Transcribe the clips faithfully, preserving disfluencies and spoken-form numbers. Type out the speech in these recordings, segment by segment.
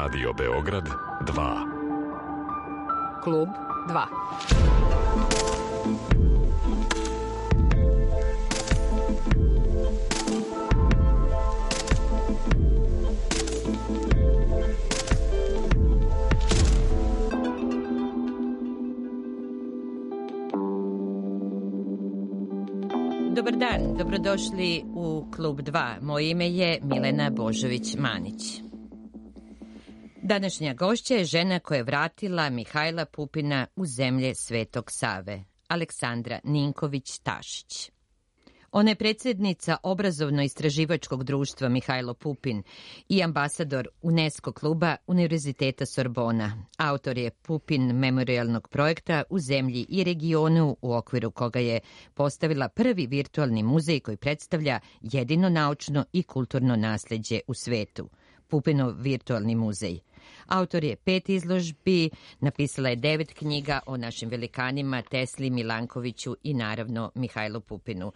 Radio Beograd dva. Klub dva. Dobar dan, dobrodošli u Klub dva. Moje ime je Milena Božović-Manić. Današnja gošća je žena koja je vratila Mihajla Pupina u zemlje Svetog Save, Aleksandra Ninković-Tašić. Ona je predsjednica Obrazovno-istraživačkog društva Mihajlo Pupin i ambasador UNESCO kluba Univerziteta Sorbona. Autor je Pupin memorialnog projekta u zemlji i regionu u okviru koga je postavila prvi virtualni muzej koji predstavlja jedino naučno i kulturno nasljeđe u svetu. Pupinov virtualni muzej. Autor je pet izložbi, napisala je devet knjiga o našim velikanima Tesli, Milankoviću i naravno Mihajlu Pupinu.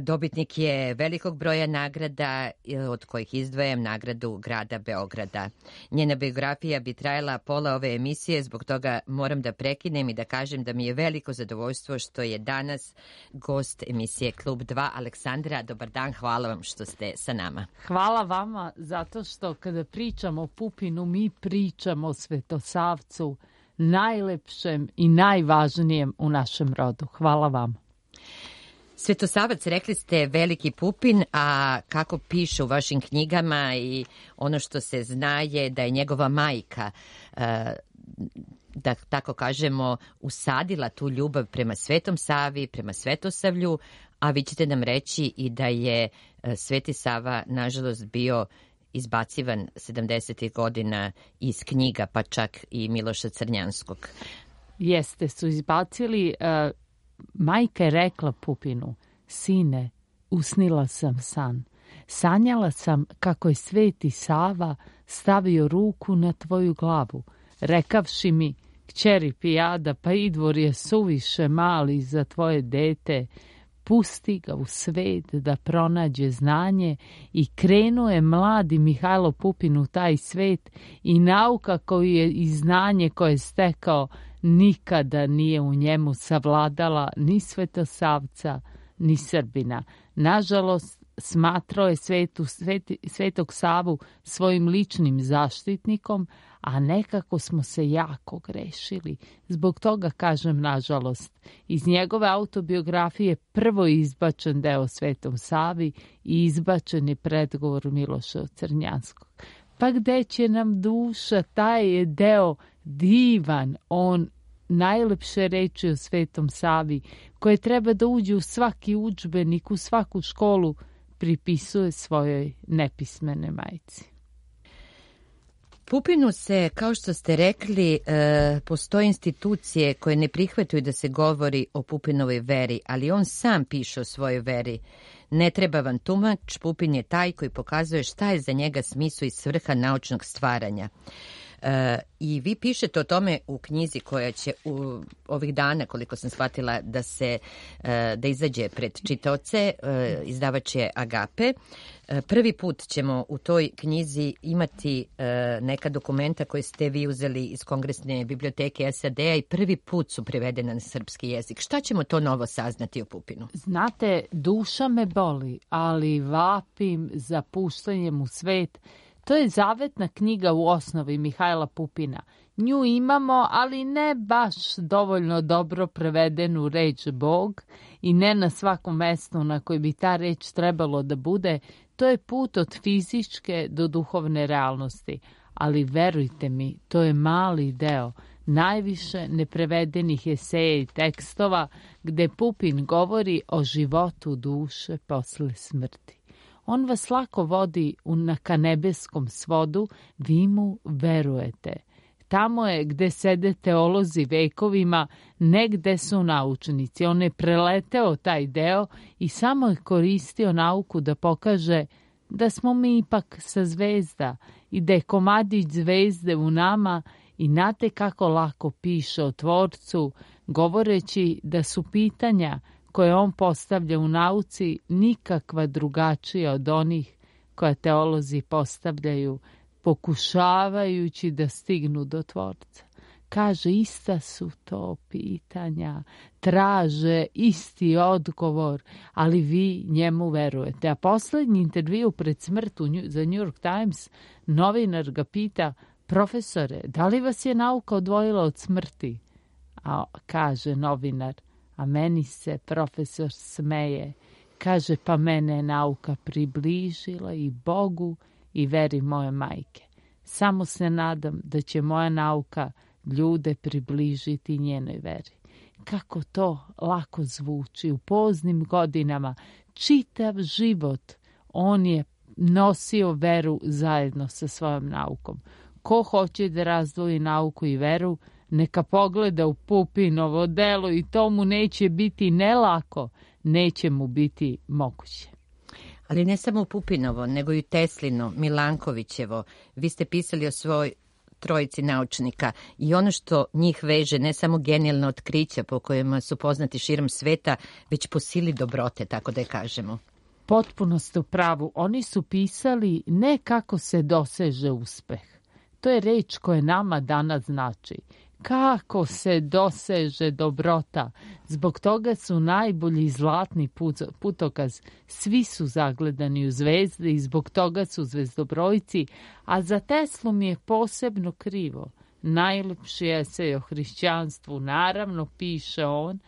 Dobitnik je velikog broja nagrada, od kojih izdvajam nagradu grada Beograda. Njena biografija bi trajala pola ove emisije, zbog toga moram da prekinem i da kažem da mi je veliko zadovoljstvo što je danas gost emisije Klub dva. Aleksandra, dobar dan, hvala vam što ste sa nama. Hvala vama, zato što kada pričamo o Pupinu, mi pričamo o Svetosavcu, najlepšem i najvažnijem u našem rodu. Hvala vam. Svetosavac, rekli ste veliki Pupin, a kako piše u vašim knjigama i ono što se zna je da je njegova majka, da tako kažemo, usadila tu ljubav prema Svetom Savi, prema Svetosavlju, a vi ćete nam reći i da je Sveti Sava, nažalost, bio izbacivan sedamdesetih godina iz knjiga, pa čak i Miloša Crnjanskog. Jeste, su izbacili... Uh... Majka je rekla Pupinu: sine, usnila sam san. Sanjala sam kako je Sveti Sava stavio ruku na tvoju glavu, rekavši mi: kćeri pijada, pa Idvor je suviše mali za tvoje dete. Pusti ga u svet da pronađe znanje. I krenuo je mladi Mihajlo Pupin u taj svet i nauka koju je i znanje koje je stekao nikada nije u njemu savladala ni Svetosavca, ni Srbina. Nažalost, smatrao je svetu, sveti, Svetog Savu svojim ličnim zaštitnikom, a nekako smo se jako grešili. Zbog toga kažem nažalost. Iz njegove autobiografije prvo je izbačen deo Svetom Savi i izbačen je predgovor Miloša Crnjanskog. Pa gde će nam duša, taj je deo divan, on najlepše reči o Svetom Savi, koje treba da uđe u svaki udžbenik, u svaku školu, pripisuje svojoj nepismene majci. Pupinu se, kao što ste rekli, e, postoje institucije koje ne prihvataju da se govori o Pupinovoj veri, ali on sam piše o svojoj veri. Ne treba vam tumač, Pupin je taj koji pokazuje šta je za njega smisao i svrha naučnog stvaranja. E, I vi pišete o tome u knjizi koja će u ovih dana, koliko sam shvatila, da se e, da izađe pred čitaoce, e, izdavač je Agape. E, prvi put ćemo u toj knjizi imati e, neka dokumenta koje ste vi uzeli iz Kongresne biblioteke S A D-a i prvi put su prevedena na srpski jezik. Šta ćemo to novo saznati o Pupinu? Znate, duša me boli, ali vapim za puštanjem u svet. To je zavetna knjiga u osnovi Mihajla Pupina. Nju imamo, ali ne baš dovoljno dobro prevedenu reč Bog i ne na svakom mestu na koji bi ta reč trebalo da bude. To je put od fizičke do duhovne realnosti. Ali verujte mi, to je mali deo. Najviše neprevedenih eseja i tekstova gde Pupin govori o životu duše posle smrti. On vas lako vodi u naka nebeskom svodu, vi mu verujete. Tamo je gde sede teolozi vekovima, ne gde su naučnici. On je preleteo taj deo i samo je koristio nauku da pokaže da smo mi ipak sa zvezda i da je komadić zvezde u nama i znate kako lako piše o Tvorcu, govoreći da su pitanja koje on postavlja u nauci nikakva drugačija od onih koja teolozi postavljaju pokušavajući da stignu do Tvorca. Kaže, ista su to pitanja, traže isti odgovor, ali vi njemu verujete. A poslednji intervju pred smrt za New York Times, novinar ga pita, profesore, da li vas je nauka odvojila od smrti? A kaže novinar, a meni se profesor smeje. Kaže, pa mene je nauka približila i Bogu i veri moje majke. Samo se nadam da će moja nauka ljude približiti njenoj veri. Kako to lako zvuči. U poznim godinama, čitav život, on je nosio veru zajedno sa svojom naukom. Ko hoće da razdvoji nauku i veru, neka pogleda u Pupinovo delo i to mu neće biti ne lako, neće mu biti moguće. Ali ne samo u Pupinovo, nego i Teslino, Milankovićevo. Vi ste pisali o svoj trojici naučnika i ono što njih veže, ne samo genijalna otkrića po kojima su poznati širom sveta, već po sili dobrote, tako da je kažemo. Potpuno ste u pravu. Oni su pisali ne kako se doseže uspeh. To je reč koja nama danas znači. Kako se doseže dobrota. Zbog toga su najbolji zlatni putokaz. Svi su zagledani u zvezde i zbog toga su zvezdobrojci. A za Teslu mi je posebno krivo. Najlepši esej o hrišćanstvu, naravno, piše on,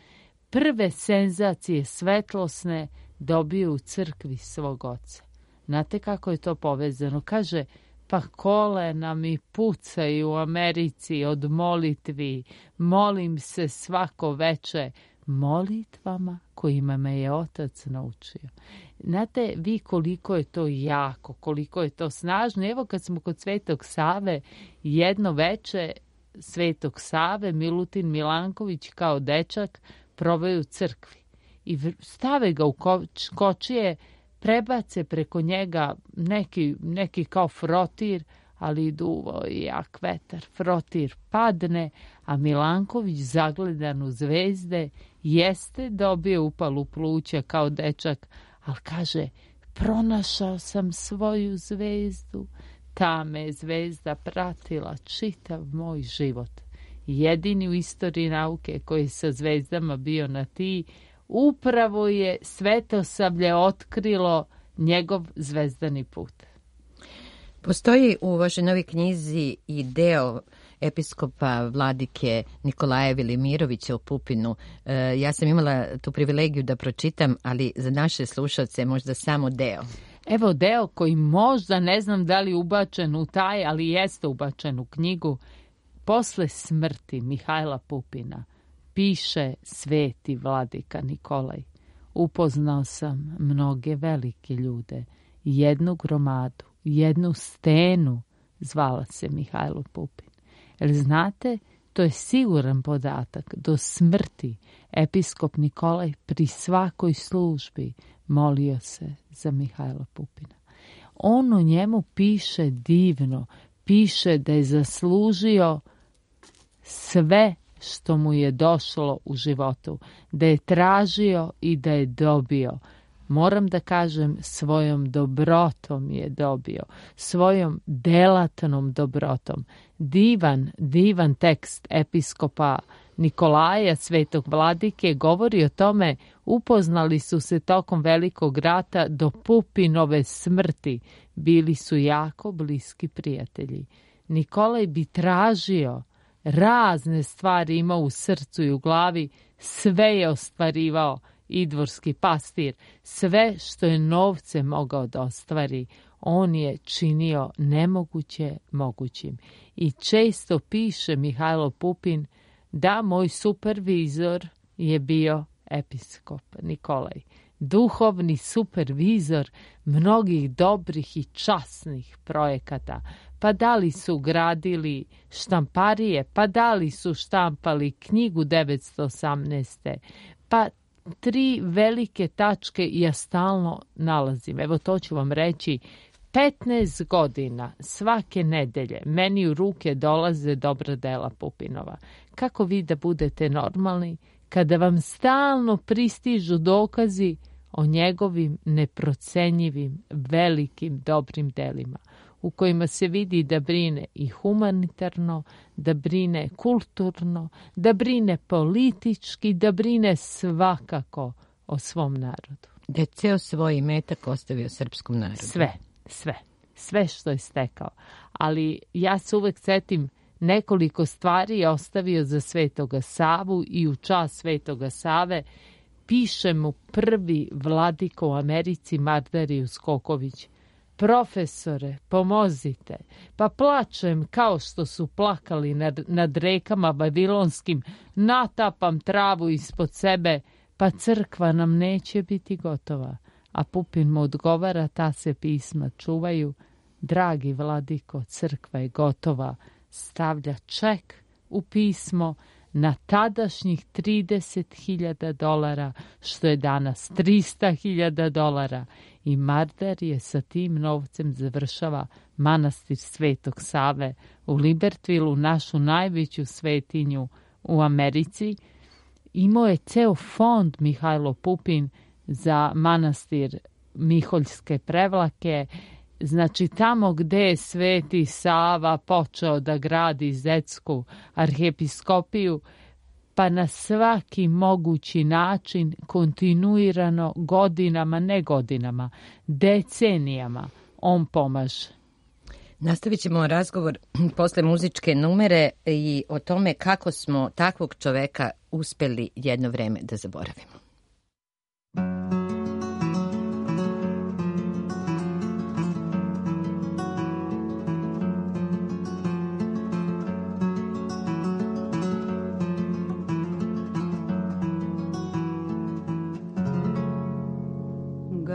prve senzacije svetlosne dobio u crkvi svog oca. Znate kako je to povezano? Kaže, pa kolena mi pucaju u Americi od molitvi, molim se svako veče molitvama kojima me je otac naučio. Znate vi koliko je to jako, koliko je to snažno. Evo kad smo kod Svetog Save, jedno veče Svetog Save, Milutin Milanković kao dečak proveo u crkvi i stave ga u kočije, prebace preko njega neki, neki kao frotir, ali duvo i jak vetar. Frotir padne, a Milanković zagledan u zvezde jeste dobio upalu pluća kao dečak, ali kaže, pronašao sam svoju zvezdu. Ta me je zvezda pratila čitav moj život. Jedini u istoriji nauke koji je sa zvezdama bio na ti, upravo je Svetosavlje otkrilo njegov zvezdani put. Postoji u vašoj novoj knjizi i deo episkopa vladike Nikolaja Velimirovića u Pupinu. E, ja sam imala tu privilegiju da pročitam, ali za naše slušalce možda samo deo. Evo deo koji možda, ne znam da li ubačen u taj, ali jeste ubačen u knjigu. Posle smrti Mihajla Pupina piše sveti vladika Nikolaj. Upoznao sam mnoge velike ljude, jednu gromadu, jednu stenu, zvala se Mihajlo Pupin. Jer znate, to je siguran podatak. Do smrti episkop Nikolaj pri svakoj službi molio se za Mihajla Pupina. On o njemu piše divno, piše da je zaslužio sve što mu je došlo u životu, da je tražio i da je dobio. Moram da kažem, svojom dobrotom je dobio, svojom delatnom dobrotom. Divan, divan tekst episkopa Nikolaja, svetog vladike, govori o tome, upoznali su se tokom Velikog rata do Pupinove smrti, bili su jako bliski prijatelji. Nikolaj bi tražio, razne stvari imao u srcu i u glavi, sve je ostvarivao idvorski pastir, sve što je novce mogao da ostvari, on je činio nemoguće mogućim. I često piše Mihajlo Pupin da moj supervizor je bio episkop Nikolaj, duhovni supervizor mnogih dobrih i časnih projekata. Pa da li su gradili štamparije, pa da li su štampali knjigu devetsto osamnaeste. Pa tri velike tačke ja stalno nalazim. Evo to ću vam reći. petnaest godina svake nedelje meni u ruke dolaze dobra dela Pupinova. Kako vi da budete normalni kada vam stalno pristižu dokazi o njegovim neprocenjivim, velikim, dobrim delima? u kojima se vidi da brine i humanitarno, da brine kulturno, da brine politički, da brine svakako o svom narodu. Da je ceo svoj imetak ostavio srpskom narodu. Sve, sve, sve što je stekao. Ali ja se uvek setim nekoliko stvari je ostavio za Svetoga Savu i u čast Svetoga Save piše mu prvi vladiko u Americi Mardarijus Skoković: profesore, pomozite, pa plačem kao što su plakali nad, nad rekama babilonskim, natapam travu ispod sebe, pa crkva nam neće biti gotova. A Pupin mu odgovara: ta se pisma čuvaju, dragi vladiko, crkva je gotova. Stavlja ček u pismo na tadašnjih trideset hiljada dolara, što je danas trista hiljada dolara, i Mardar je sa tim novcem završava manastir Svetog Save u Libertvilu, našu najveću svetinju u Americi. Imao je ceo fond Mihajlo Pupin za manastir Miholjske Prevlake. Znači, tamo gde je Sveti Sava počeo da gradi Zetsku arhiepiskopiju, pa na svaki mogući način, kontinuirano, godinama, ne godinama, decenijama, on pomaže. Nastavit ćemo razgovor posle muzičke numere i o tome kako smo takvog čoveka uspeli jedno vreme da zaboravimo.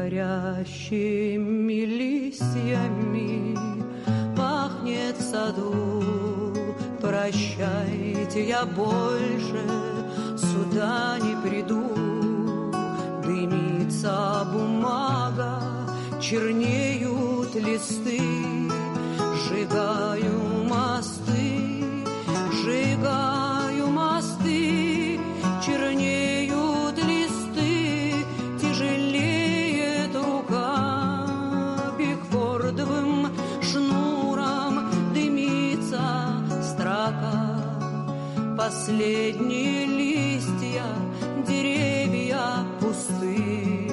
Горящими листьями пахнет в саду. Прощайте, я больше сюда не приду. Дымится бумага, чернеют листы. Сжигаю мосты, сжигаю мосты, чернеют листы, тяжелеет рука. Бигфордовым шнуром дымится строка. Последние листья, деревья пусты.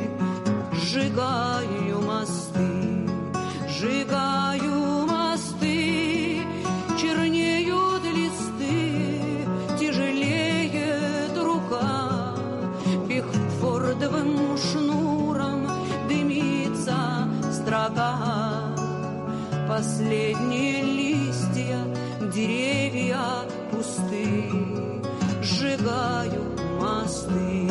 Сжигаю мосты, сжигаю мосты, чернеют листы, тяжелеет рука. Бигфордовым шнуром дымится строка. Последние листья, деревья пусты. Сжигаю мосты.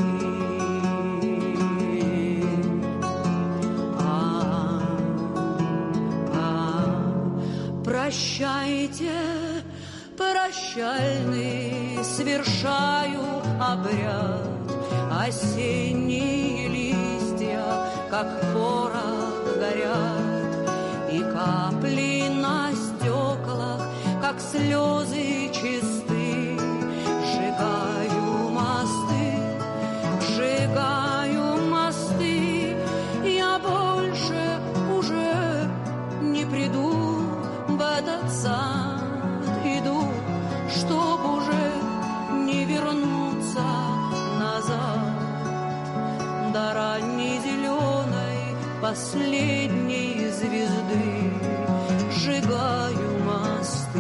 Прощайте, прощальный, совершаю обряд. Осенние листья, как порох, горят, и капли на стеклах, как слезы чисты. Сжигаю мосты, сжигаю мосты. Я больше уже не приду в этот сад, иду, чтоб уже не вернуться назад. До ранней зеленой последней звезды сжигаю мосты.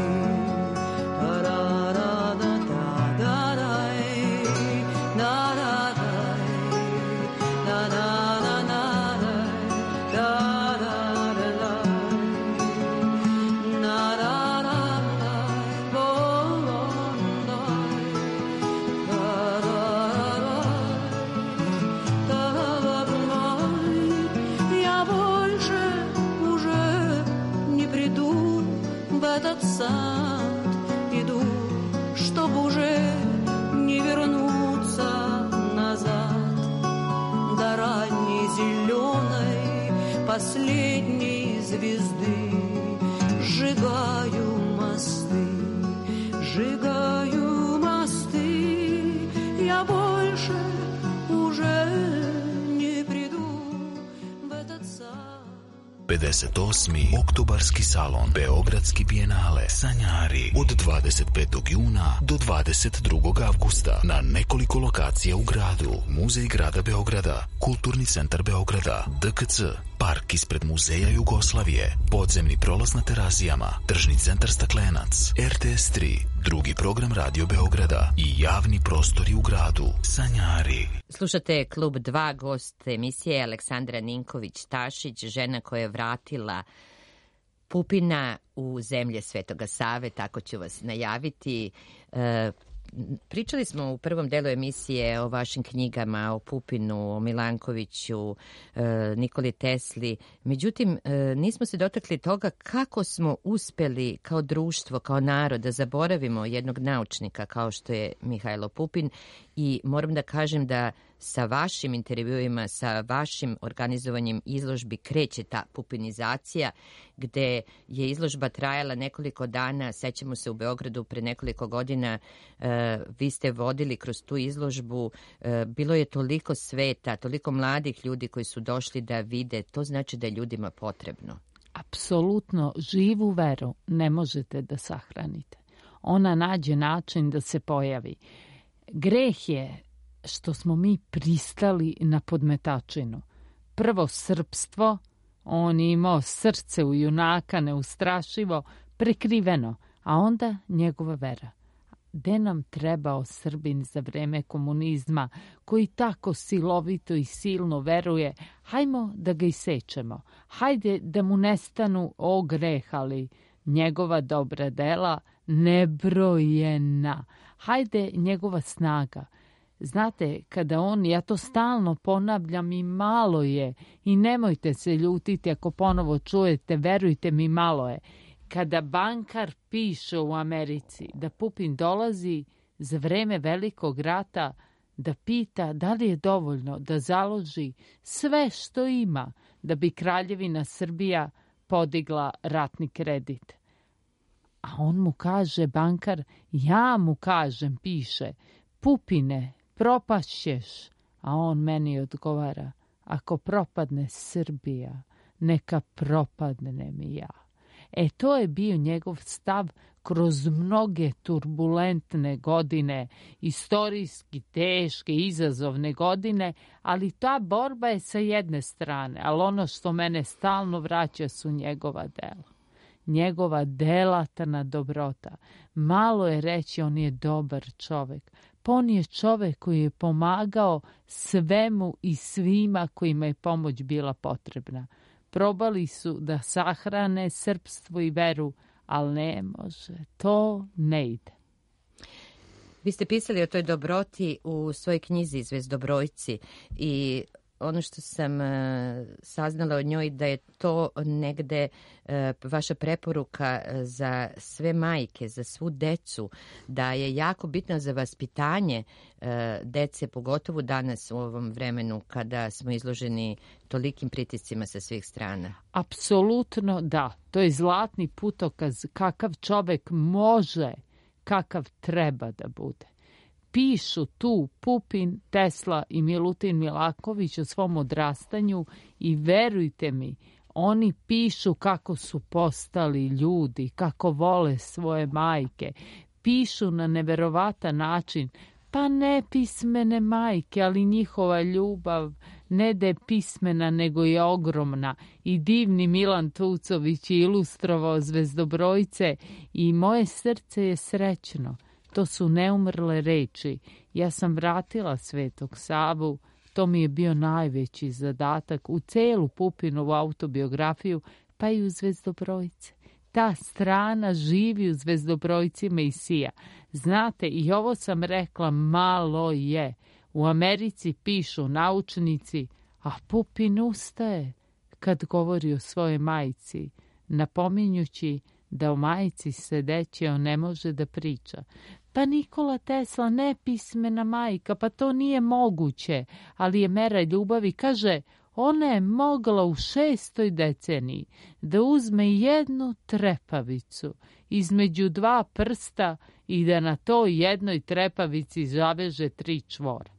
Этот сад иду, чтоб уже не вернуться назад. До ранней зеленой последней звезды сжигаю мосты, сжигаю мосты. Я больше уже не приду в этот сад. pedeset osmi Oktobarski salon Beogradski bijenale Sanjari od dvadeset petog juna do dvadeset drugog avgusta na nekoliko lokacija u gradu. Muzej grada Beograda, Kulturni centar Beograda, D K C, park ispred Muzeja Jugoslavije, podzemni prolaz na Terazijama, tržni centar Staklenac, R T S tri, drugi program Radio Beograda i javni prostori u gradu. Sanjari. Slušate Klub dva, gost emisije Aleksandra Ninković-Tašić, žena koja je vratila Pupina u zemlje Svetoga Save, tako ću vas najaviti. E, Pričali smo u prvom delu emisije o vašim knjigama, o Pupinu, o Milankoviću, Nikoli Tesli. Međutim, nismo se dotakli toga kako smo uspeli kao društvo, kao narod da zaboravimo jednog naučnika kao što je Mihajlo Pupin i moram da kažem da sa vašim intervjuima, sa vašim organizovanjem izložbi kreće ta pupinizacija, gde je izložba trajala nekoliko dana. Sećamo se u Beogradu pre nekoliko godina, e, vi ste vodili kroz tu izložbu, e, bilo je toliko sveta, toliko mladih ljudi koji su došli da vide, to znači da je ljudima potrebno. Apsolutno, živu veru ne možete da sahranite. Ona nađe način da se pojavi. Greh je što smo mi pristali na podmetačinu. Prvo srpstvo, on je imao srce u junaka, neustrašivo, prekriveno, a onda njegova vera. Gde nam trebao Srbin za vreme komunizma, koji tako silovito i silno veruje, hajmo da ga isečemo, hajde da mu nestanu o greh, ali njegova dobra dela nebrojena, hajde njegova snaga. Znate, kada on, ja to stalno ponavljam i malo je, i nemojte se ljutiti ako ponovo čujete, verujte mi, malo je. Kada bankar piše u Americi da Pupin dolazi za vreme Velikog rata da pita da li je dovoljno da založi sve što ima da bi Kraljevina Srbija podigla ratni kredit. A on mu kaže, bankar, ja mu kažem, piše, Pupine, propašćeš, a on meni odgovara, ako propadne Srbija, neka propadnem i ja. E, to je bio njegov stav kroz mnoge turbulentne godine, istorijski teške, izazovne godine, ali ta borba je sa jedne strane, ali ono što mene stalno vraća su njegova dela. Njegova delatna dobrota. Malo je reći on je dobar čovek. Pa on je čovek koji je pomagao svemu i svima kojima je pomoć bila potrebna. Probali su da sahrane srpstvo i veru, ali ne može. To ne ide. Vi ste pisali o toj dobroti u svojoj knjizi Zvezdobrojci i ono što sam uh, saznala od njoj da je to negde uh, vaša preporuka za sve majke, za svu decu, da je jako bitno za vaspitanje uh, dece, pogotovo danas u ovom vremenu kada smo izloženi tolikim pritiscima sa svih strana. Apsolutno da. To je zlatni putokaz kakav čovek može, kakav treba da bude. Pišu tu Pupin, Tesla i Milutin Milaković o svom odrastanju i verujte mi, oni pišu kako su postali ljudi, kako vole svoje majke. Pišu na neverovatan način, pa ne pismene majke, ali njihova ljubav ne da je pismena, nego je ogromna. I divni Milan Tucović je ilustrovao Zvezdobrojce i moje srce je srećno. To su neumrle reči. Ja sam vratila Svetog Savu, to mi je bio najveći zadatak u celu Pupinovu autobiografiju, pa i u Zvezdobrojce. Ta strana živi u Zvezdobrojcima i sija. Znate, i ovo sam rekla, malo je. U Americi pišu naučnici, a Pupin ustaje kad govori o svojoj majci, napominjući da o majci sedeći on ne može da priča. Pa Nikola Tesla nepismena majka, pa to nije moguće, ali je mera ljubavi. Kaže, ona je mogla u šestoj deceniji da uzme jednu trepavicu između dva prsta i da na toj jednoj trepavici zaveže tri čvora.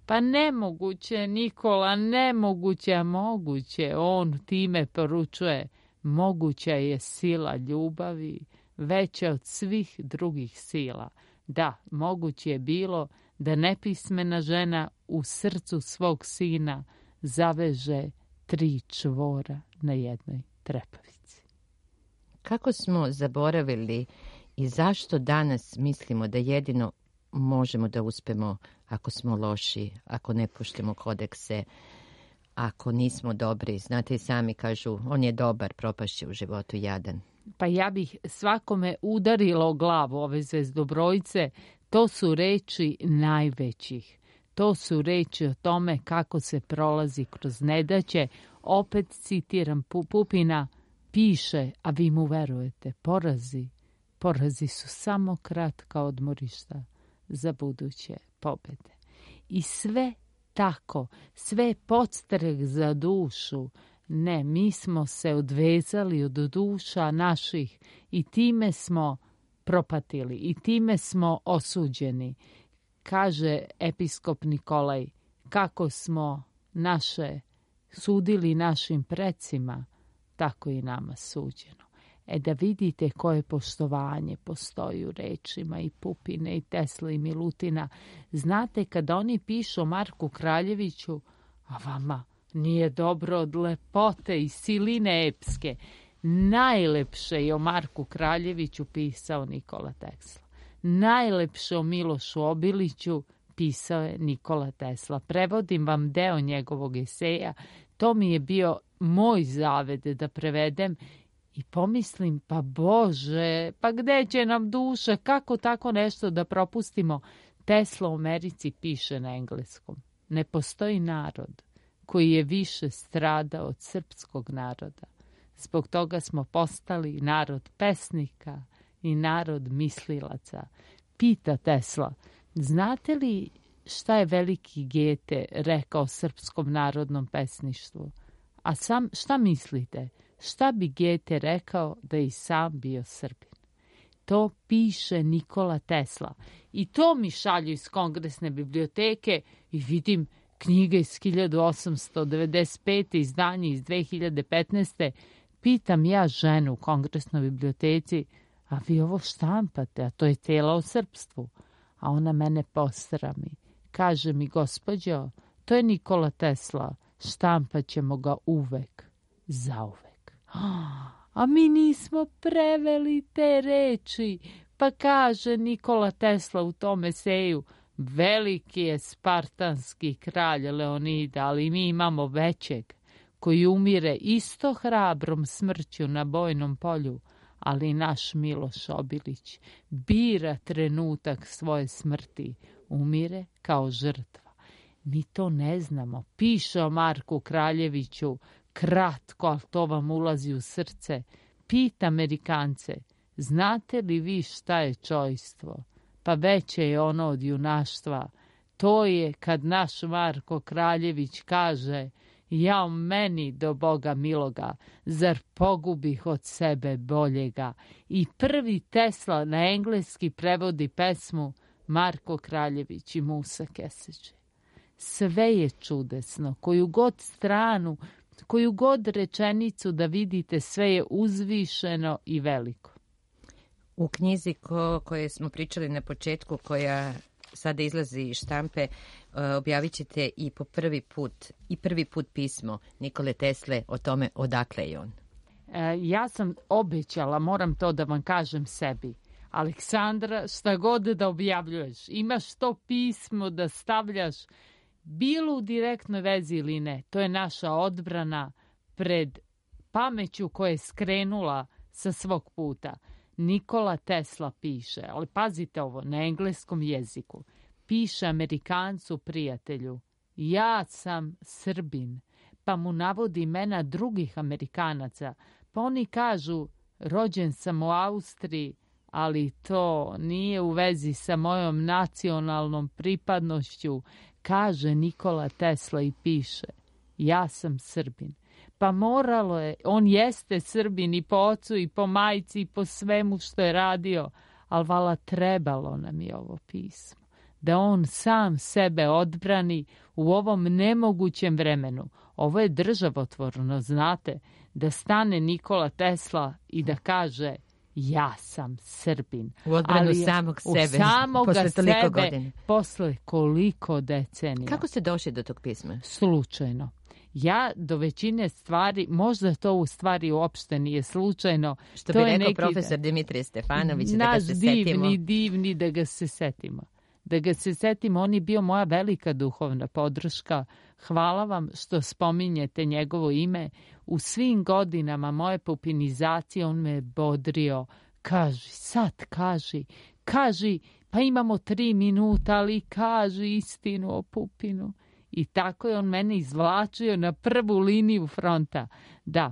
Pa nemoguće, Nikola, nemoguće, a moguće. On time poručuje, moguća je sila ljubavi, veća od svih drugih sila. Da, moguće je bilo da nepismena žena u srcu svog sina zaveže tri čvora na jednoj trepavici. Kako smo zaboravili i zašto danas mislimo da jedino možemo da uspemo ako smo loši, ako ne poštujemo kodekse, ako nismo dobri. Znate i sami kažu, on je dobar, propašće u životu jadan. Pa ja bih svakome udarila o glavu ove zvezdobrojice. To su reči najvećih. To su reči o tome kako se prolazi kroz nedaće. Opet citiram Pupina, piše, a vi mu verujete, porazi. Porazi su samo kratka odmorišta za buduće pobede. I sve tako, sve podstrek za dušu. Ne, mi smo se odvezali od duša naših i time smo propatili i time smo osuđeni. Kaže episkop Nikolaj, kako smo naše sudili našim precima, tako i nama suđeno. E da vidite koje poštovanje postoji u rečima i Pupine i Tesle i Milutina. Znate, kada oni pišu o Marku Kraljeviću, a vama nije dobro od lepote i siline epske. Najlepše je o Marku Kraljeviću pisao Nikola Tesla. Najlepše o Milošu Obiliću pisao je Nikola Tesla. Prevodim vam deo njegovog eseja. To mi je bio moj zavet da prevedem i pomislim, pa Bože, pa gde će nam duša, kako tako nešto da propustimo? Tesla u Americi piše na engleskom. Ne postoji narod koji je više stradao od srpskog naroda. Zbog toga smo postali narod pesnika i narod mislilaca. Pita Tesla, znate li šta je veliki Gete rekao srpskom narodnom pesništvu? A sam, šta mislite? Šta bi Gete rekao da je i sam bio Srbin? To piše Nikola Tesla. I to mi šalju iz Kongresne biblioteke i vidim knjige iz hiljadu osamsto devedeset pete. izdanje iz dve hiljade petnaeste. Pitam ja ženu u Kongresnoj biblioteci, a vi ovo štampate, a to je tela o srpstvu. A ona mene posrami. Kaže mi, gospođo, to je Nikola Tesla, štampat ćemo ga uvek, zauvek. A mi nismo preveli te reči. Pa kaže Nikola Tesla u tom eseju, veliki je spartanski kralj Leonida, ali mi imamo većeg, koji umire isto hrabrom smrću na bojnom polju, ali naš Miloš Obilić bira trenutak svoje smrti, umire kao žrtva. Mi to ne znamo. Piše o Marku Kraljeviću, kratko, ali to vam ulazi u srce. Pita Amerikance, znate li vi šta je čojstvo? Pa veće je ono od junaštva. To je kad naš Marko Kraljević kaže, ja meni do Boga miloga, zar pogubih od sebe boljega? I prvi Tesla na engleski prevodi pesmu Marko Kraljević i Musa Keseđe. Sve je čudesno, koju god stranu, koju god rečenicu da vidite, sve je uzvišeno i veliko. U knjizi ko, koje smo pričali na početku, koja sada izlazi iz štampe, objavit ćete i po prvi put, i prvi put pismo Nikole Tesle o tome odakle je on. E, ja sam obećala, moram to da vam kažem sebi. Aleksandra, šta god da objavljuješ, imaš to pismo da stavljaš, bilo u direktnoj vezi ili ne. To je naša odbrana pred pameću koja je skrenula sa svog puta. Nikola Tesla piše, ali pazite ovo, na engleskom jeziku. Piše Amerikancu prijatelju, ja sam Srbin, pa mu navodi imena drugih Amerikanaca. Pa oni kažu, rođen sam u Austriji, ali to nije u vezi sa mojom nacionalnom pripadnošću, kaže Nikola Tesla i piše, ja sam Srbin. Pa moralo je, on jeste Srbin i po ocu i po majci i po svemu što je radio, ali vala trebalo nam je ovo pismo. da on sam sebe odbrani u ovom nemogućem vremenu. Ovo je državotvorno, znate, da stane Nikola Tesla i da kaže ja sam Srbin. U odbranu ali samog sebe. U samoga posle toliko sebe, godina. Posle koliko decenija. Kako ste došli do tog pisma? Slučajno. Ja do većine stvari, možda to u stvari uopšte nije slučajno. Što to bi je rekao neki, profesor Dimitrije Stefanović, da ga naš se divni, setimo. divni da ga se setimo. Da ga se setimo, on je bio moja velika duhovna podrška. Hvala vam što spominjete njegovo ime. U svim godinama moje pupinizacije on me bodrio. Kaži, sad kaži, kaži, pa imamo tri minuta, ali kaži istinu o Pupinu. I tako je on mene izvlačio na prvu liniju fronta. Da,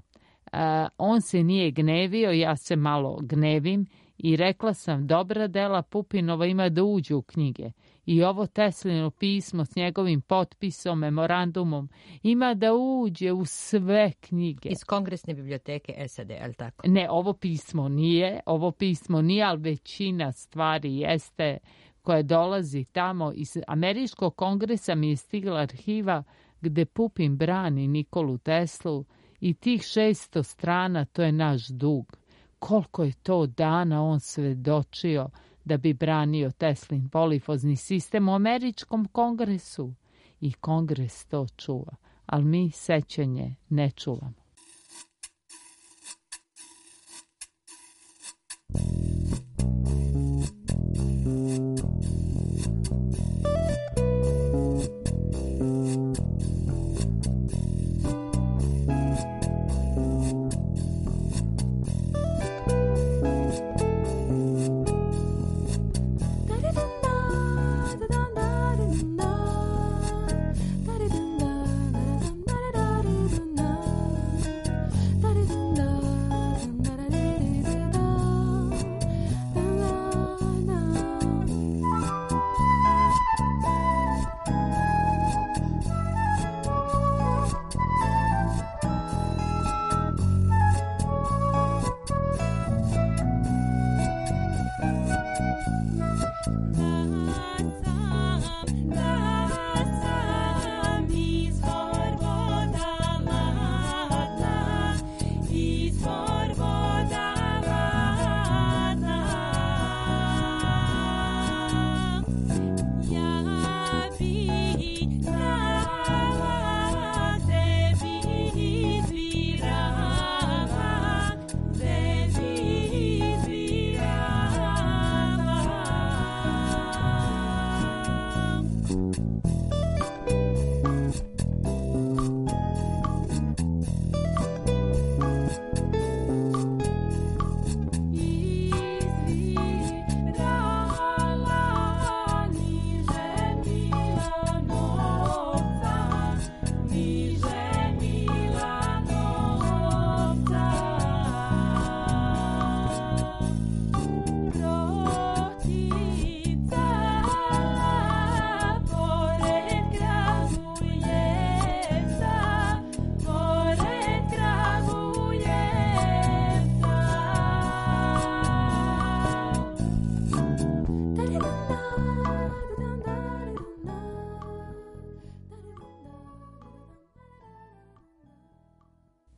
uh, on se nije gnevio, ja se malo gnevim i rekla sam, dobra dela Pupinova ima da uđu u knjige. I ovo Teslino pismo s njegovim potpisom, memorandumom, ima da uđe u sve knjige. Iz Kongresne biblioteke S A D, ali tako? Ne, ovo pismo nije, ovo pismo nije, ali većina stvari jeste koja dolazi tamo. Iz Američkog kongresa mi je stigla arhiva gde Pupin brani Nikolu Teslu i tih šesto strana, to je naš dug. Koliko je to dana on svedočio da bi branio Teslin polifozni sistem u Američkom kongresu. I kongres to čuva, ali mi sećanje ne čuvamo.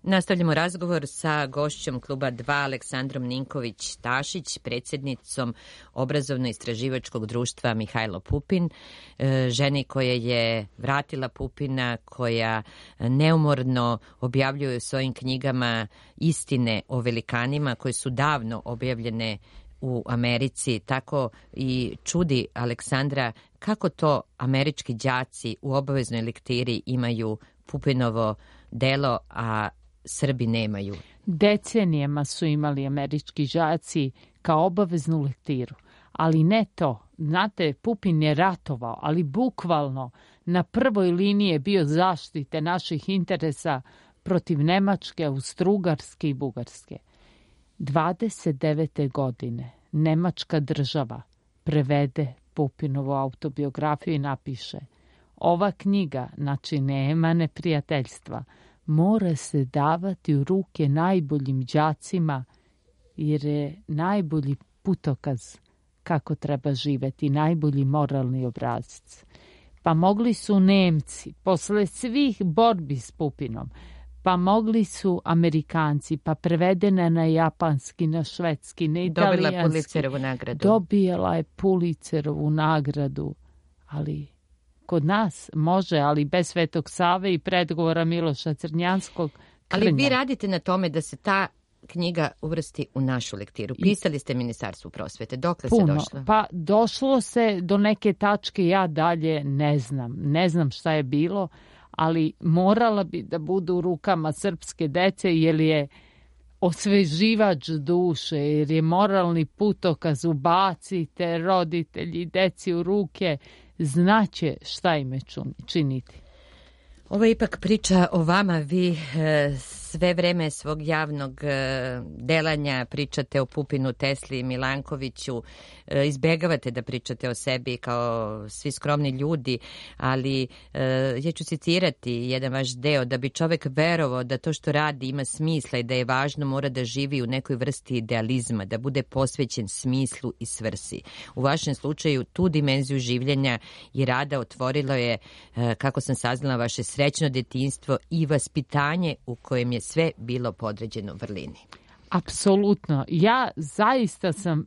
Nastavljamo razgovor sa gošćom Kluba dva, Aleksandrom Ninković-Tašić, predsjednicom Obrazovno-istraživačkog društva Mihajlo Pupin, ženi koja je vratila Pupina, koja neumorno objavljuje u svojim knjigama istine o velikanima koje su davno objavljene u Americi. Tako i čudi Aleksandra kako to američki đaci u obaveznoj lektiri imaju Pupinovo delo, a Srbi nemaju. Decenijama su imali američki đaci kao obaveznu lektiru, ali ne to. Znate, Pupin je ratovao, ali bukvalno na prvoj liniji je bio zaštite naših interesa protiv Nemačke, Austrougarske i Bugarske. dvadeset devete godine Nemačka država prevede Pupinovu autobiografiju i napiše: ova knjiga, znači nema neprijateljstva, mora se davati u ruke najboljim đacima jer je najbolji putokaz kako treba živeti, najbolji moralni obrazac. Pa mogli su Nemci, posle svih borbi s Pupinom, pa mogli su Amerikanci, pa prevedena na japanski, na švedski, na italijanski. Dobila Pulitzerovu nagradu. Dobila je Pulitzerovu nagradu, ali kod nas može, ali bez Svetog Save i predgovora Miloša Crnjanskog. Krnja. Ali vi radite na tome da se ta knjiga uvrsti u našu lektiru. Pisali ste Ministarstvu prosvete. Dokle Puno. se došlo? Pa došlo se do neke tačke, ja dalje ne znam. Ne znam šta je bilo, ali morala bi da budu u rukama srpske dece, jer je osveživač duše, jer je moralni putokaz, ubacite roditelji deci u ruke, znaće šta im je činiti. Ovo je ipak priča o vama. Vi e, sve vreme svog javnog e, delanja pričate o Pupinu, Tesli i Milankoviću. E, izbegavate da pričate o sebi kao svi skromni ljudi, ali e, ja ću citirati jedan vaš deo. Da bi čovek verovao da to što radi ima smisla i da je važno, mora da živi u nekoj vrsti idealizma, da bude posvećen smislu i svrsi. U vašem slučaju tu dimenziju življenja i rada otvorilo je, e, kako sam saznala, vaše srećno detinjstvo i vaspitanje u kojem je sve bilo podređeno vrlini. Apsolutno. Ja zaista sam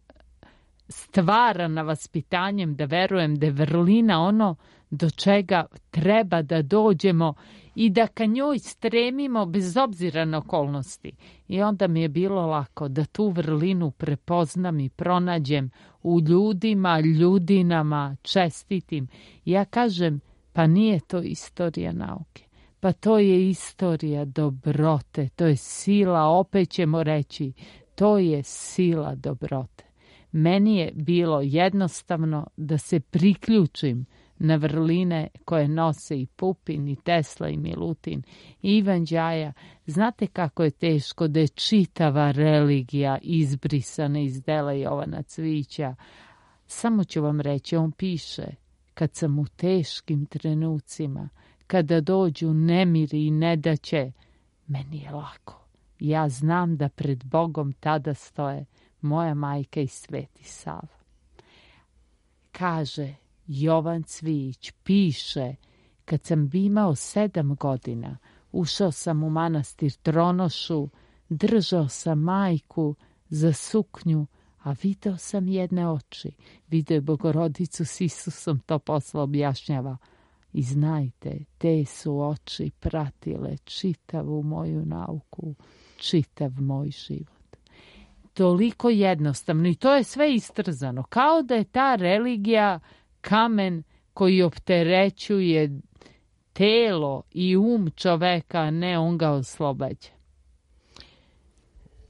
stvarana vaspitanjem da verujem da je vrlina ono do čega treba da dođemo i da ka njoj stremimo bez obzira na okolnosti. I onda mi je bilo lako da tu vrlinu prepoznam i pronađem u ljudima, ljudinama, čestitim. Ja kažem, pa nije to istorija nauke. Pa to je istorija dobrote, to je sila, opet ćemo reći, to je sila dobrote. Meni je bilo jednostavno da se priključim na vrline koje nose i Pupin, i Tesla, i Milutin, i Ivan Đaja. Znate kako je teško da je čitava religija izbrisana iz dela Jovana Cvijića. Samo ću vam reći, on piše, kad sam u teškim trenucima, kada dođu nemiri i nedaće, meni je lako. Ja znam da pred Bogom tada stoje moja majka i Sveti Sava. Kaže Jovan Cvijić, piše, kad sam imao sedam godina, ušao sam u manastir Tronošu, držao sam majku za suknju, a video sam jedne oči. Video je Bogorodicu s Isusom, to posle objašnjava. I znajte, te su oči pratile čitavu moju nauku, čitav moj život. Toliko jednostavno i to je sve istrzano. Kao da je ta religija kamen koji opterećuje telo i um čoveka, a ne on ga oslobađa.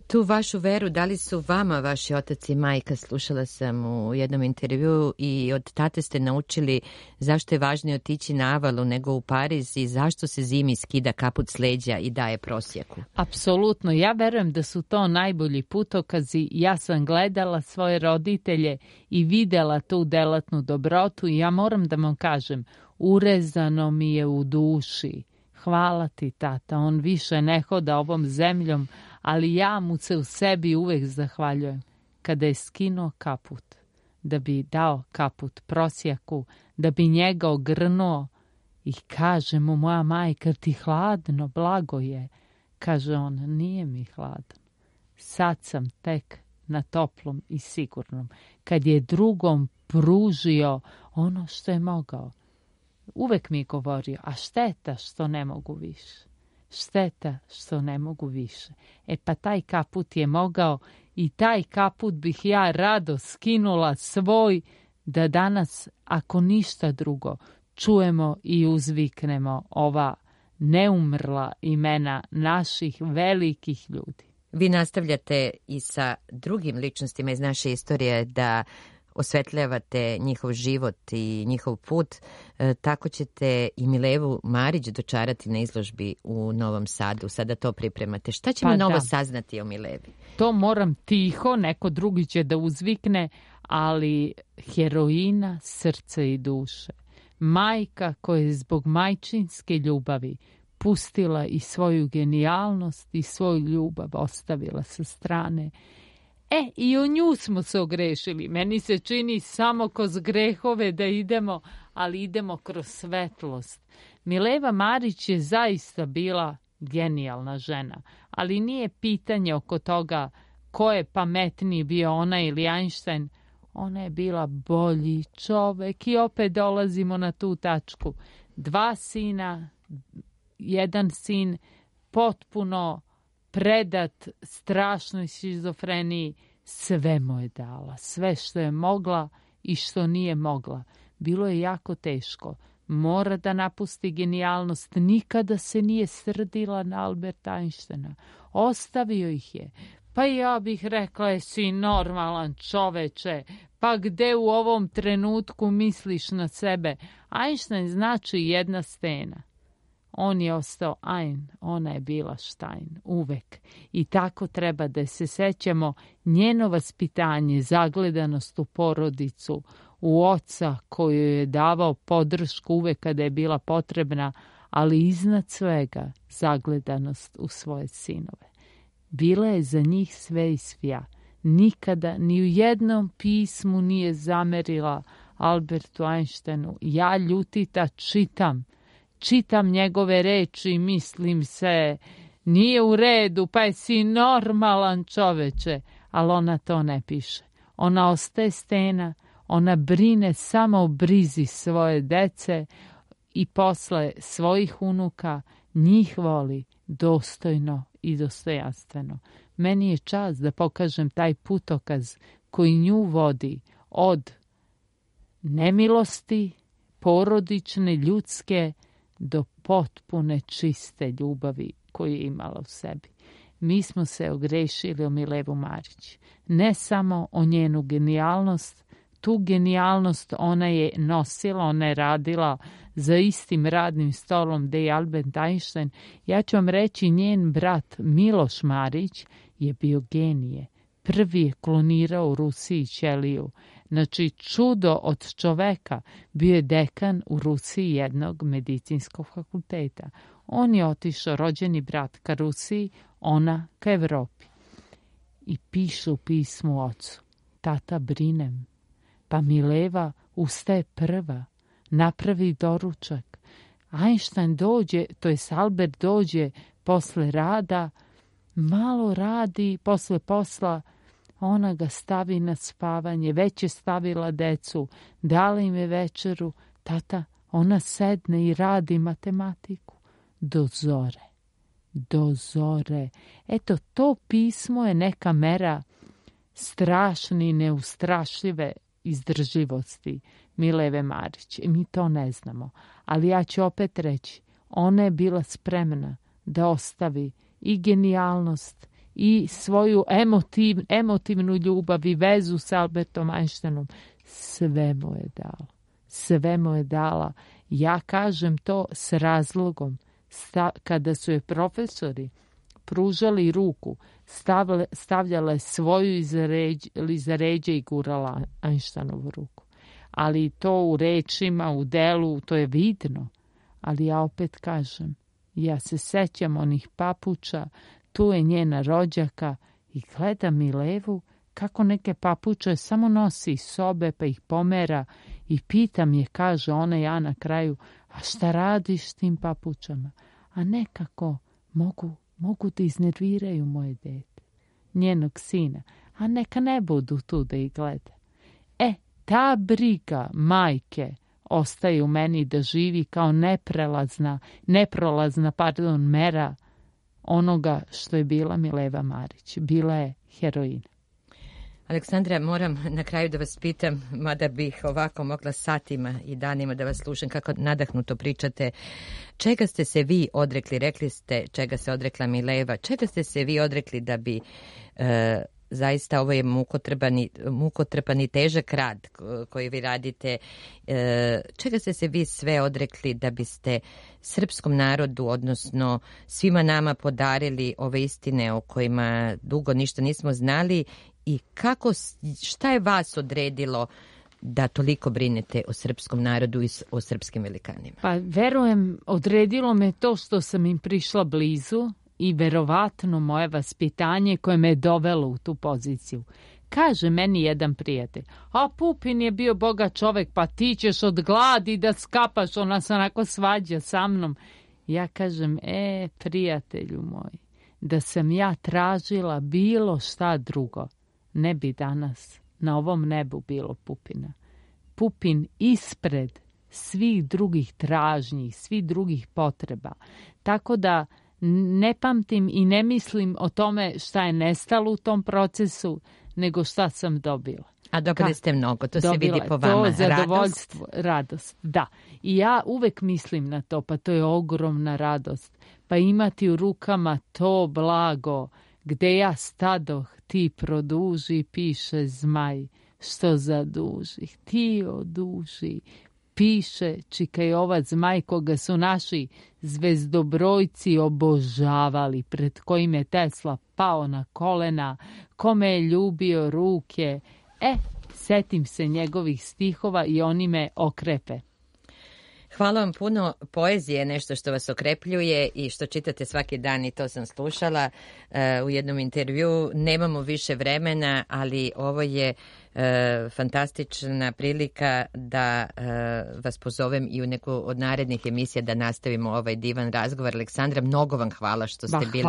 Tu vašu veru, da li su vama vaši otac i majka, slušala sam u jednom intervjuu, i od tate ste naučili zašto je važnije otići na Avalu nego u Pariz i zašto se zimi skida kaput s leđa i daje prosjeku? Apsolutno, ja verujem da su to najbolji putokazi. Ja sam gledala svoje roditelje i videla tu delatnu dobrotu i ja moram da vam kažem, urezano mi je u duši. Hvala ti, tata, on više ne hoda ovom zemljom, ali ja mu se u sebi uvek zahvaljujem. Kada je skinuo kaput, da bi dao kaput prosjaku, da bi njega ogrnuo, i kaže mu moja majka, ti hladno, blago je. Kaže on, nije mi hladno. Sad sam tek na toplom i sigurnom. Kad je drugom pružio ono što je mogao. Uvek mi je govorio, a šteta što ne mogu više. Šteta što ne mogu više. E pa taj kaput je mogao i taj kaput bih ja rado skinula svoj, da danas, ako ništa drugo, čujemo i uzviknemo ova neumrla imena naših velikih ljudi. Vi nastavljate i sa drugim ličnostima iz naše istorije da osvetljavate njihov život i njihov put. E, tako ćete i Milevu Marić dočarati na izložbi u Novom Sadu. Sada to pripremate. Šta ćemo pa novo da. saznati o Milevi? To moram tiho, neko drugi će da uzvikne, ali heroina srca i duše. Majka koja je zbog majčinske ljubavi pustila i svoju genijalnost i svoju ljubav ostavila sa strane. E, i u nju smo se ogrešili. Meni se čini samo kroz grehove da idemo, ali idemo kroz svetlost. Mileva Marić je zaista bila genijalna žena, ali nije pitanje oko toga ko je pametniji, bio ona ili Einstein. Ona je bila bolji čovek i opet dolazimo na tu tačku. Dva sina, jedan sin potpuno predat strašnoj šizofreniji, sve mu je dala, sve što je mogla i što nije mogla. Bilo je jako teško. Mora da napusti genijalnost. Nikada se nije srdila na Alberta Einsteina. Ostavio ih je. Pa ja bih rekla, jesi normalan čoveče, pa gde u ovom trenutku misliš na sebe? Einstein znači jedna stena. On je ostao Ein, ona je bila Stein, uvek. I tako treba da se sećamo njeno vaspitanje, zagledanost u porodicu, u oca koju je davao podršku uvek kada je bila potrebna, ali iznad svega zagledanost u svoje sinove. Bila je za njih sve i svja. Nikada ni u jednom pismu nije zamerila Albertu Einsteinu. Ja ljutita čitam. Čitam njegove reči i mislim se, nije u redu, pa jesi normalan čoveče. Ali ona to ne piše. Ona ostaje stena, ona brine samo o brizi svoje dece i posle svojih unuka njih voli dostojno i dostojanstveno. Meni je čast da pokažem taj putokaz koji nju vodi od nemilosti, porodične, ljudske, do potpune čiste ljubavi koju je imala u sebi. Mi smo se ogrešili o Milevu Marić. Ne samo o njenu genijalnost, tu genijalnost ona je nosila, ona je radila za istim radnim stolom gde je Albert Einstein. Ja ću vam reći, njen brat Miloš Marić je bio genije. Prvi je klonirao u Rusiji ćeliju. Znači, čudo od čoveka. Bio je dekan u Rusiji jednog medicinskog fakulteta. On je otišao, rođeni brat, ka Rusiji, ona ka Evropi. I piše u pismu ocu: tata, brinem. Pa Mileva ustaje prva, napravi doručak. Einstein dođe, to jest Albert dođe posle rada, malo radi, posle posla, ona ga stavi na spavanje, već je stavila decu, dala im je večeru, tata, ona sedne i radi matematiku. Do zore, do zore. Eto, to pismo je neka mera strašne i neustrašljive izdržljivosti Mileve Marić. Mi to ne znamo. Ali ja ću opet reći, ona je bila spremna da ostavi i genijalnost i svoju emotiv, emotivnu ljubav i vezu s Albertom Einsteinom. Sve mu je dala. Sve mu je dala. Ja kažem to s razlogom. Sta, kada su je profesori pružali ruku, stavle, stavljala je svoju iza, ređ, iza ređe i gurala Einsteinovu ruku. Ali to u rečima, u delu, to je vidno. Ali ja opet kažem, ja se sećam onih papuča, tu je njena rođaka i gledam Milevu kako neke papuče samo nosi iz sobe pa ih pomera i pitam je, kaže ona, ja na kraju, a šta radiš s tim papučama? A nekako mogu, mogu da iznerviraju moje dete, njenog sina, a neka ne budu tu da ih gleda. E, ta briga majke ostaje u meni da živi kao neprelazna, neprolazna, pardon, mera onoga što je bila Mileva Marić. Bila je heroina. Aleksandra, moram na kraju da vas pitam, mada bih ovako mogla satima i danima da vas slušam kako nadahnuto pričate, čega ste se vi odrekli, rekli ste čega se odrekla Mileva, čega ste se vi odrekli da bi e, zaista ovo je mukotrpani, mukotrpani težak rad koji vi radite, e, čega ste se vi sve odrekli da biste srpskom narodu, odnosno svima nama podarili ove istine o kojima dugo ništa nismo znali i kako, šta je vas odredilo da toliko brinete o srpskom narodu i o srpskim velikanima? Pa verujem, odredilo me to što sam im prišla blizu i verovatno moje vaspitanje koje me je dovelo u tu poziciju. Kaže meni jedan prijatelj, a Pupin je bio bogat čovek, pa ti ćeš od gladi da skapaš, ona se onako svađa sa mnom. Ja kažem, e, prijatelju moj, da sam ja tražila bilo šta drugo, ne bi danas na ovom nebu bilo Pupina. Pupin ispred svih drugih tražnji, svih drugih potreba. Tako da ne pamtim i ne mislim o tome šta je nestalo u tom procesu, nego šta sam dobila. A dobili ste mnogo, to se vidi po vama. To zadovoljstvo, radost. radost, da. I ja uvek mislim na to, pa to je ogromna radost. Pa imati u rukama to blago, gde ja stadoh, ti produži, piše zmaj, što zaduži, ti oduži, piše čikajovac zmaj koga su naši zvezdobrojci obožavali, pred kojim je Tesla pao na kolena, kome je ljubio ruke. E, setim se njegovih stihova i oni me okrepe. Hvala vam puno. Poezija je nešto što vas okrepljuje i što čitate svaki dan i to sam slušala uh, u jednom intervju. Nemamo više vremena, ali ovo je uh, fantastična prilika da uh, vas pozovem i u neku od narednih emisija da nastavimo ovaj divan razgovor. Aleksandra, mnogo vam hvala što ste ba, bili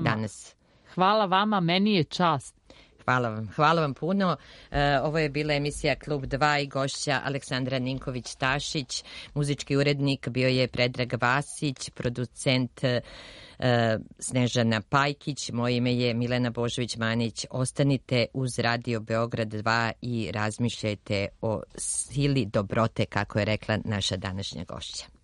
danas. Hvala vama, meni je čast. Hvala vam. Hvala vam puno. E, ovo je bila emisija Klub dva i gošća Aleksandra Ninković-Tašić. Muzički urednik bio je Predrag Vasić, producent e, Snežana Pajkić. Moje ime je Milena Božović-Manić. Ostanite uz Radio Beograd dva i razmišljajte o sili dobrote, kako je rekla naša današnja gošća.